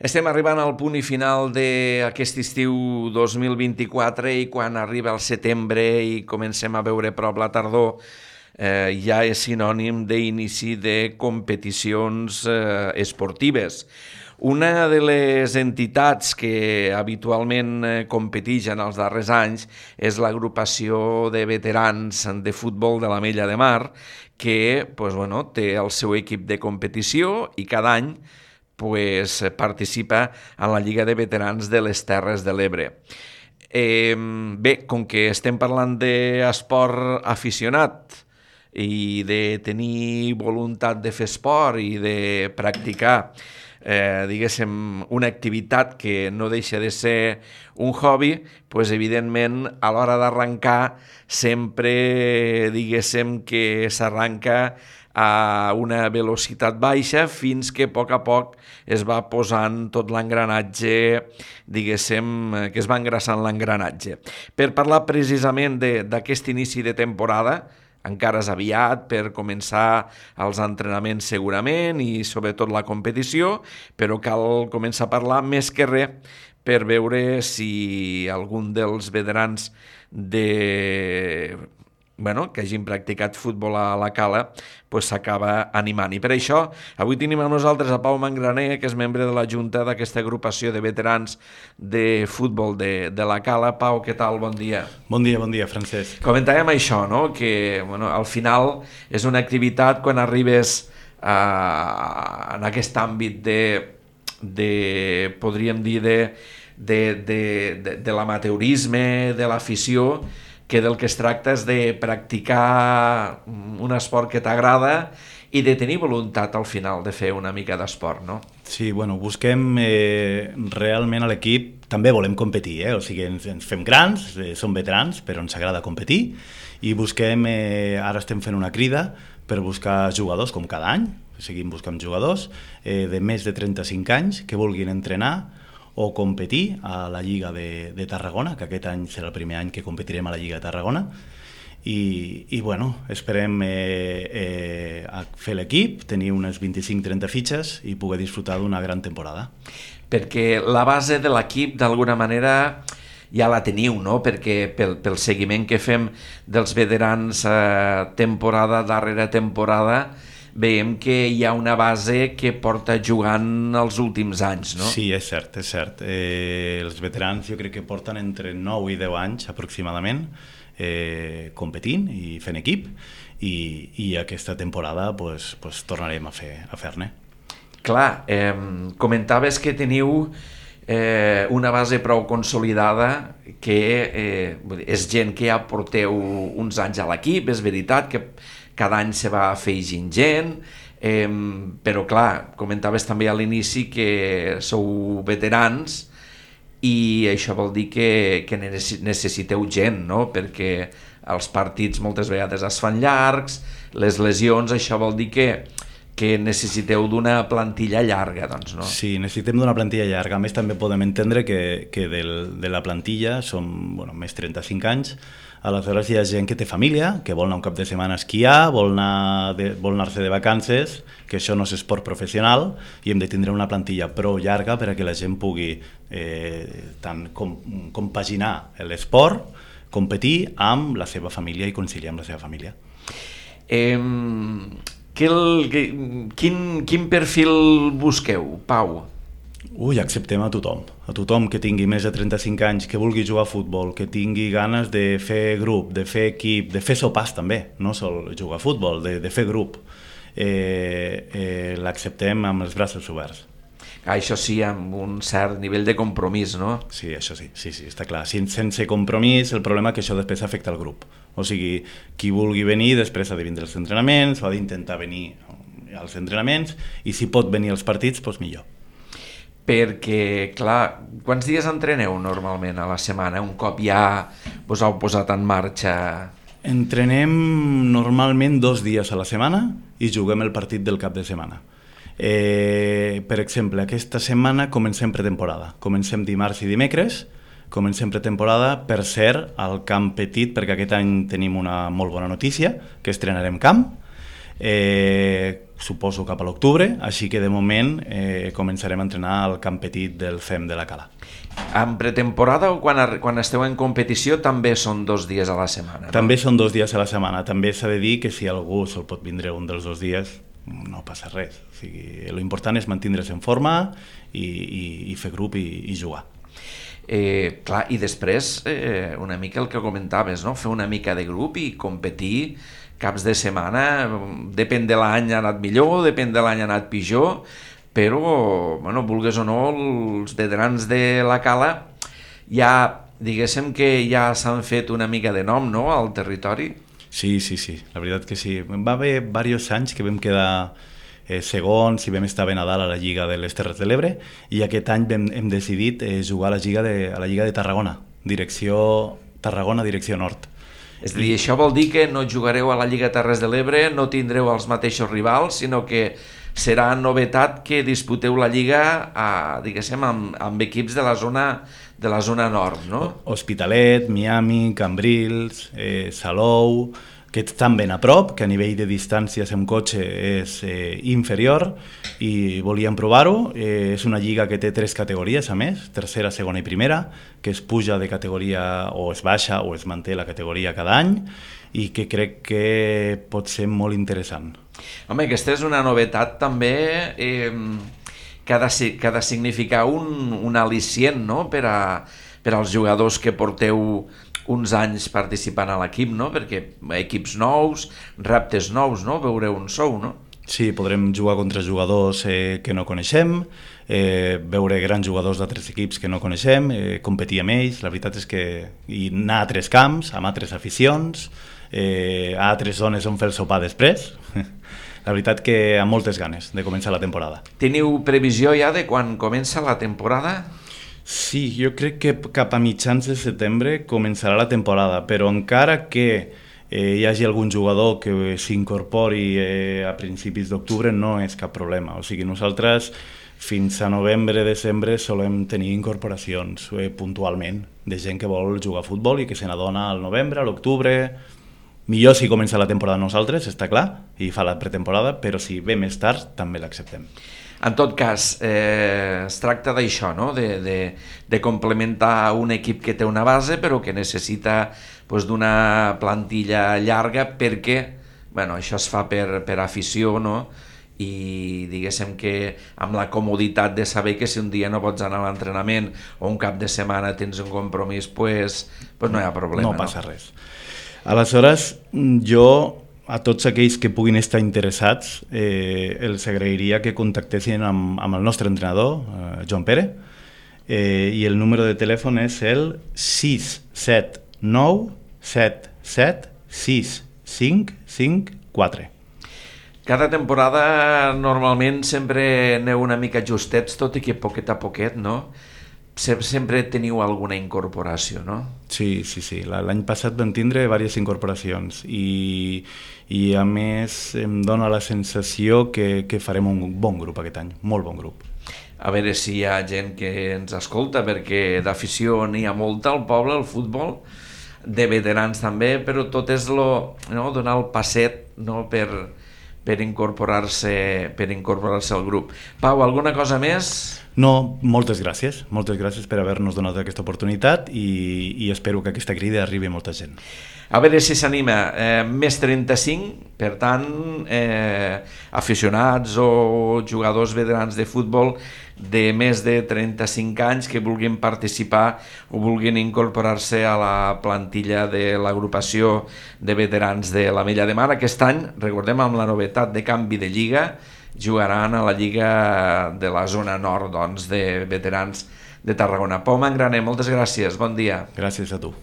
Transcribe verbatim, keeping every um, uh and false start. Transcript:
Estem arribant al punt i final d'aquest estiu dos mil vint-i-quatre i quan arriba el setembre i comencem a veure prop la tardor, eh, ja és sinònim d'inici de competicions eh, esportives. Una de les entitats que habitualment eh, competeix en els darrers anys és l'agrupació de veterans de futbol de l'Ametlla de Mar, que pues, bueno, té el seu equip de competició i cada any pues, participa en la Lliga de Veterans de les Terres de l'Ebre. Eh, bé, com que estem parlant d'esport aficionat i de tenir voluntat de fer esport i de practicar eh, diguéssim, una activitat que no deixa de ser un hobby, pues, evidentment, a l'hora d'arrencar sempre, diguéssim, que s'arranca a una velocitat baixa fins que a poc a poc es va posant tot l'engranatge, diguéssim, que es va engraçant l'engranatge. Per parlar precisament d'aquest inici de temporada, encara és aviat per començar els entrenaments segurament i sobretot la competició, però cal començar a parlar més que res per veure si algun dels veterans de... bueno, que hagin practicat futbol a la Cala pues, s'acaba animant. I per això avui tenim amb nosaltres a Pau Mangraner, que és membre de la Junta d'aquesta agrupació de veterans de futbol de, de la Cala. Pau, què tal? Bon dia. Bon dia, bon dia, Francesc. Comentàvem això, no? Que bueno, al final és una activitat quan arribes a, en aquest àmbit de, de podríem dir, de, de, de, de, de l'amateurisme, de l'afició, que del que es tracta és de practicar un esport que t'agrada i de tenir voluntat al final de fer una mica d'esport, no? Sí, bueno, busquem eh, realment a l'equip, també volem competir, eh? O sigui, ens, ens fem grans, eh, som veterans, però ens agrada competir i busquem, eh, ara estem fent una crida per buscar jugadors, com cada any, seguim buscant jugadors eh, de més de trenta-cinc anys que vulguin entrenar o competir a la Lliga de, de Tarragona, que aquest any serà el primer any que competirem a la Lliga de Tarragona, i, i bueno, esperem eh, eh, a fer l'equip, tenir unes vint-i-cinc trenta fitxes i poder disfrutar d'una gran temporada. Perquè la base de l'equip, d'alguna manera, ja la teniu, no? Perquè pel, pel seguiment que fem dels veterans eh, temporada darrere temporada, veiem que hi ha una base que porta jugant els últims anys, no? Sí, és cert, és cert. Eh, els veterans jo crec que porten entre nou i deu anys aproximadament eh, competint i fent equip i, i aquesta temporada pues, pues, tornarem a fer a fer-ne. Clar, eh, comentaves que teniu eh, una base prou consolidada que eh, és gent que ja porteu uns anys a l'equip, és veritat que cada any se va afegint gent, eh, però clar, comentaves també a l'inici que sou veterans i això vol dir que, que necessiteu gent, no? Perquè els partits moltes vegades es fan llargs, les lesions, això vol dir que, que necessiteu d'una plantilla llarga, doncs, no? Sí, necessitem d'una plantilla llarga. A més, també podem entendre que, que del, de la plantilla som bueno, més trenta-cinc anys. Aleshores hi ha gent que té família, que vol anar un cap de setmana a esquiar, vol anar de, vol anar-se de vacances, que això no és esport professional, i hem de tindre una plantilla prou llarga per a que la gent pugui eh, tant com, compaginar l'esport, competir amb la seva família i conciliar amb la seva família. Eh, que el, que, quin, quin perfil busqueu, Pau? Ui, acceptem a tothom, a tothom que tingui més de trenta-cinc anys, que vulgui jugar a futbol, que tingui ganes de fer grup, de fer equip, de fer sopars també, no sol jugar a futbol, de, de fer grup. Eh, eh, l'acceptem amb els braços oberts. Ah, això sí, amb un cert nivell de compromís, no? Sí, això sí, sí, sí, està clar. Sense compromís, el problema és que això després afecta el grup. O sigui, qui vulgui venir després ha de vindre als entrenaments, o ha d'intentar venir als entrenaments, i si pot venir als partits, doncs millor. Perquè, clar, quants dies entreneu normalment a la setmana? Un cop ja us heu posat en marxa? Entrenem normalment dos dies a la setmana i juguem el partit del cap de setmana. Eh, per exemple, aquesta setmana comencem pretemporada. Comencem dimarts i dimecres, comencem pretemporada, per cert, al camp petit, perquè aquest any tenim una molt bona notícia, que estrenarem camp. eh, suposo cap a l'octubre, així que de moment eh, començarem a entrenar al camp petit del F E M de la Cala. En pretemporada o quan, quan esteu en competició també són dos dies a la setmana, no? També són dos dies a la setmana. També s'ha de dir que si algú se'l pot vindre un dels dos dies, no passa res. O sigui, l'important és mantindre's en forma i, i, i fer grup i, i jugar. Eh, clar, i després eh, una mica el que comentaves, no? Fer una mica de grup i competir caps de setmana, depèn de l'any ha anat millor, depèn de l'any ha anat pitjor, però, bueno, vulgues o no, els veterans de la Cala ja, diguéssim que ja s'han fet una mica de nom, no?, al territori. Sí, sí, sí, la veritat que sí. Va haver diversos anys que vam quedar eh, segons i vam estar ben a dalt a la Lliga de les Terres de l'Ebre, i aquest any vam, hem decidit eh, jugar a la, Lliga de, a la Lliga de Tarragona, direcció Tarragona, direcció nord. És a dir, això vol dir que no jugareu a la Lliga Terres de l'Ebre, no tindreu els mateixos rivals, sinó que serà novetat que disputeu la Lliga a, diguéssim, amb, amb equips de la zona de la zona nord, no? Hospitalet, Miami, Cambrils, eh, Salou, que estan ben a prop, que a nivell de distàncies amb cotxe és eh, inferior, i volíem provar-ho. Eh, és una lliga que té tres categories, a més, tercera, segona i primera, que es puja de categoria o es baixa o es manté la categoria cada any, i que crec que pot ser molt interessant. Home, aquesta és una novetat també eh, que, ha de, que ha de significar un, un al·licient, no?, per, a, per als jugadors que porteu uns anys participant a l'equip, no?, perquè equips nous, reptes nous, no?, veureu on sou, no? Sí, podrem jugar contra jugadors eh, que no coneixem, eh, veure grans jugadors d'altres equips que no coneixem, eh, competir amb ells. La veritat és que i anar a altres camps, amb altres aficions, eh, a altres zones on fer el sopar després. La veritat que amb moltes ganes de començar la temporada. Teniu previsió ja de quan comença la temporada? Sí, jo crec que cap a mitjans de setembre començarà la temporada, però encara que eh, hi hagi algun jugador que s'incorpori eh, a principis d'octubre no és cap problema. O sigui, nosaltres fins a novembre, desembre solem tenir incorporacions eh, puntualment de gent que vol jugar a futbol i que se n'adona al novembre, a l'octubre. Millor si comença la temporada nosaltres, està clar, i fa la pretemporada, però si ve més tard també l'acceptem. En tot cas, eh, es tracta d'això, no?, de, de, de complementar un equip que té una base però que necessita pues, d'una plantilla llarga perquè, bueno, això es fa per, per afició, no?, i diguéssim que amb la comoditat de saber que si un dia no pots anar a l'entrenament o un cap de setmana tens un compromís, pues, pues no hi ha problema. No passa no? res. Aleshores, jo a tots aquells que puguin estar interessats eh, els agrairia que contactessin amb, amb el nostre entrenador, eh, Joan Pere, eh, i el número de telèfon és el sis set nou set set sis cinc cinc quatre. Cada temporada normalment sempre aneu una mica justets, tot i que poquet a poquet, no? Sempre teniu alguna incorporació, no? Sí, sí, sí. L'any passat vam tindre diverses incorporacions i, i a més em dona la sensació que, que farem un bon grup aquest any, molt bon grup. A veure si hi ha gent que ens escolta, perquè d'afició n'hi ha molta al poble, al futbol, de veterans també, però tot és lo, no? Donar el passet, no? per, per incorporar-se per incorporar-se al grup. Pau, alguna cosa més? No, moltes gràcies. Moltes gràcies per haver-nos donat aquesta oportunitat i, i espero que aquesta crida arribi a molta gent. A veure si s'anima. Eh, més trenta-cinc, per tant, eh, aficionats o jugadors veterans de futbol de més de trenta-cinc anys que vulguin participar o vulguin incorporar-se a la plantilla de l'agrupació de veterans de l'Ametlla de Mar. Aquest any, recordem, amb la novetat de canvi de lliga, jugaran a la Lliga de la zona nord, doncs, de veterans de Tarragona. Pau Mangraner, moltes gràcies, bon dia. Gràcies a tu.